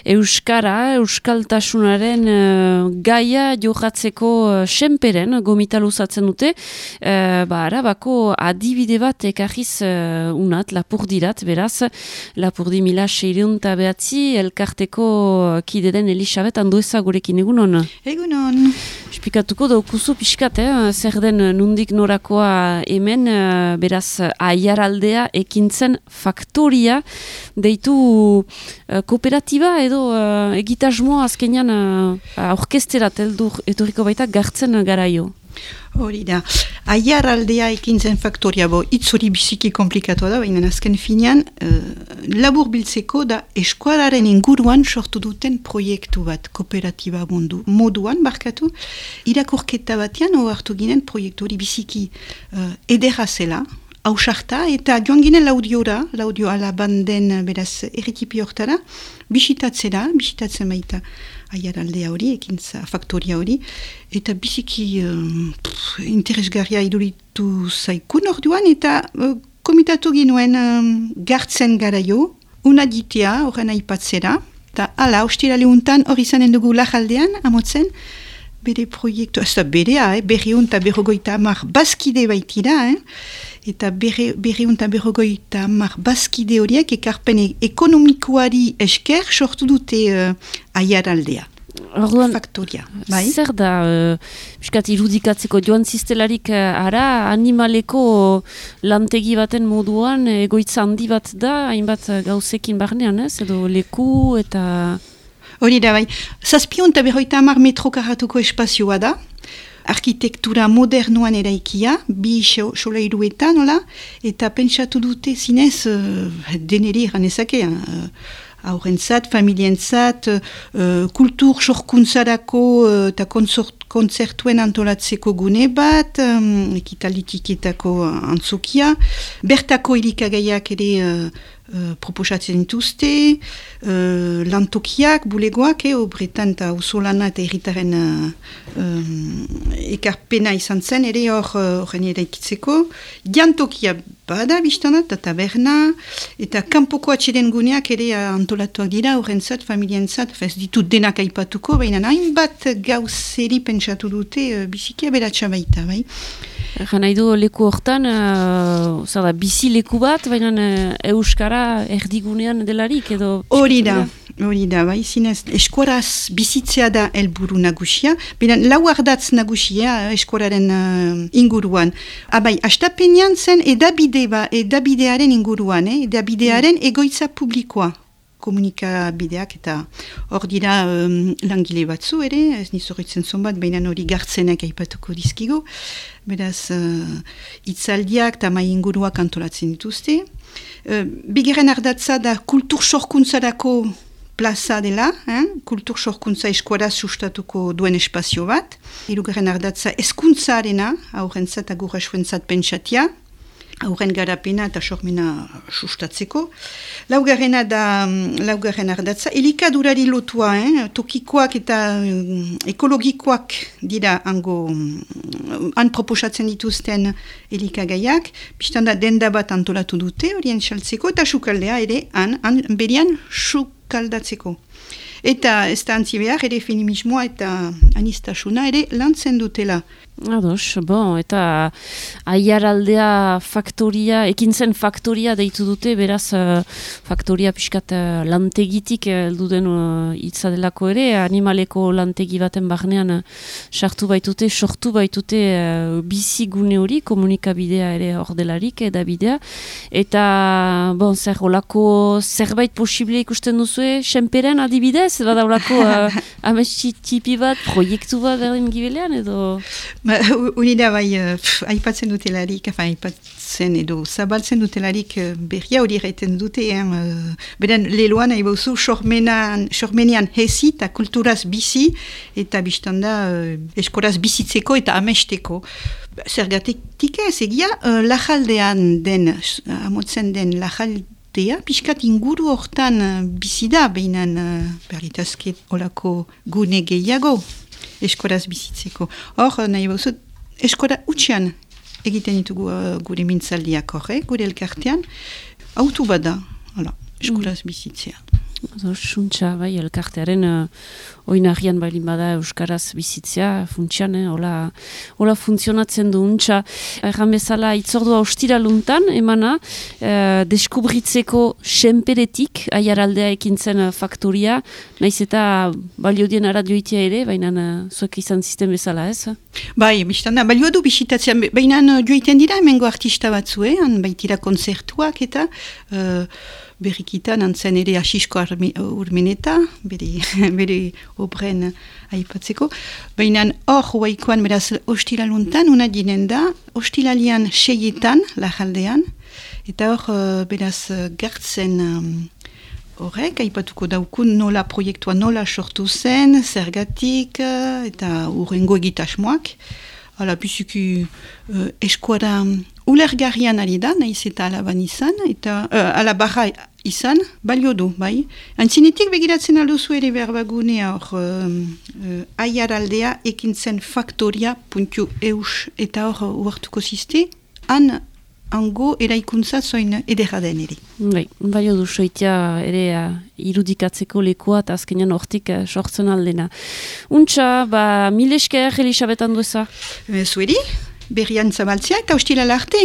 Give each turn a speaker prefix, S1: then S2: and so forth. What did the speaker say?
S1: euskaltasunaren gaia jokatzeko senperen gomita luzatzen dute. Arabako adibide bat ekarriz unat, Lapurdirat, beraz, Lapurdi 1609 elkarteko kide den Elisabet Andueza gurekin, egunon?
S2: Egunon.
S1: Esplikatuko daukuzu pixkat, zer den nundik norakoa hemen, beraz, Aiaraldea ekintzen faktoria, deitu kooperatiba edo egitasmoa azkenean aurkesterat etorriko baita gartzen garaio.
S2: Hori da. Aiaraldea ekintzen faktoria, hitz hori biziki komplikatua da, baina azken finean, labur biltzeko da eskualaren inguruan sortu duten proiektu bat, kooperatiba moduan, barkatu, irakurketa batean ohartu ginen proiektu hori biziki ederra zela, hausarta, eta joan ginen laudio alabanden beraz errikipi hortara, bisitatzen baita Aiaraldea hori, ekintza faktoria hori, eta biziki interesgarria iduritu zaikun orduan, eta komitatu ginuen gartzen garaio, unaditea horren aipatzera, eta ala, ostirale untan hori zanen dugu Lajaldean, amotzen, bere proiektu, ez da berea, berriun eta berrogoita amar bazkide baitira, eta berriun eta berrogoita amar bazkide horiek ekarpen ekonomikoari esker sortu dute Aiaraldea.
S1: Orduan,
S2: faktoria. Bai?
S1: Zer da, piskat irudikatzeko joan ziztelarik animaleko lantegi baten moduan egoitza handi bat da, hainbat gauzekin barnean, edo leku eta...
S2: Hori da, bai. 750 metro karratuko espazioa da, arkitektura modernoan eraikia, 2 solairuetan, nola, eta pentsatu dute zinez deneri ganezake, aurrentzat, familientzat, kultur sorkuntzarako eta kontzertuen antolatzeko gune bat, ekitalitiketako antzokia, bertako elikagaiak ere proposatzen dituzte, lantokiak, bulegoak, obretan eta usolana eta erritaren ekarpena izan zen, ere horren eraikitzeko, jantokia bada biztana, eta taberna, eta kanpoko atxeden guneak ere antolatuak dira, horrentzat, familientzat, ez ditut denak aipatuko, baina hainbat gauzeri pentsatu dute biziki aberatsa baita, bai?
S1: Nahi du leku hortan, bizi leku bat, baina euskara erdigunean delarik edo... Hori
S2: da, bai, zinez, eskuaraz bizitzea da helburu nagusia, baina lau ardatz nagusia eskuararen inguruan. Bai, astapenean zen edabidearen inguruan, edabidearen egoitza publikoa. Komunikabideak eta hor dira langile batzu ere, ez nizorritzen zonbat, baina hori gartzenek aipatuko dizkigo. Beraz, itzaldiak eta mai inguruak antolatzen dituzte. Bigarren ardatza da kultur sorkuntzarako plaza dela, kultur sorkuntza eskuaraz sustatuko duen espazio bat. Hirugarren ardatza hezkuntzarena, aurrentzat agurrasuentzat pentsatia, aurren garapena eta sormena sustatzeko. Laugarren ardatza, elikadurari lotua, tokikoak eta ekologikoak dira han proposatzen dituzten elikagaiak, biztanda denda bat antolatu dute, horien saltzeko, eta sukaldea ere han berian sukaldatzeko. Eta ez da antzi behar, ere feminismoa eta anistasuna ere lantzen dutela.
S1: Ados, eta Aiaraldea faktoria, ekintzen faktoria deitu dute, beraz faktoria pixkat lantegitik elduden hitza delako ere, animaleko lantegi baten barnean sortu baitute bizigune hori, komunikabidea ere hor delarik, edabidea, eta zer olako zerbait posible ikusten duzue, senperen adibidez, bada olako amesti tipi bat, proiektu bat berdin gibelean, edo...
S2: Unida bai, aipatzen dutelarik, aipatzen edo zabaltzen dutelarik berria hori egiten dute, beren leloan haibauzu sormenian hezi eta kulturaz bizi, eta biztanda eskoraz bizitzeko eta amesteko. Zergatik ez, egia, Lajaldean den, amotzen den Lajaldea, pixkat inguru hortan bizi da, behinan berritazke olako gune gehiago. Eskoraz bizitzeko. Hor, nahi bauzu, eskora utxean egiten ditugu gure mintzaldiak gure elkartean, autu bada, eskoraz bizitzea.
S1: Suntxa, bai, elkartearen oinarrian bailin bada Euskaraz bizitzea, funtsian, hola funtzionatzen du untxa. Erran bezala, itzordua ostiraluntan, emana, deskubritzeko senperetik, aiaraldea ekintzen faktoria, naiz eta baliodien aradioitea ere, baina zuek izan zisten bezala, ez?
S2: Bai, biztan da, balio du bisitatzen, baina joiten dira, hemengo artista batzuen, baitira konzertuak eta berrikitan antzen ere asisko urmeneta, bere obren aipatzeko. Baina hor huaikoan beraz ostiraluntan, una dinen da, ostiralian 6etan, lajaldean, eta hor beraz gertzen horrek, aipatuko daukun nola proiektua nola sortu zen, zergatik, eta urrengo egitasmoak. Hala, bizuki eskuara ulergarrian ari da, nahiz eta alaban izan, eta alabarra izan, balio du, bai. Antzinetik begiratzen alduzu ere berbagunea hor aiaraldea ekintzen faktoria.eus eta hor uartuko ziste, hango eraikuntza zoin edera den ere.
S1: Balio du soitea ere irudikatzeko lekua eta azkenean hortik sortzen aldena. Untxa, mil esker Elisabet Andueza.
S2: Zueri, berrian zabaltzea eta hostilala arte.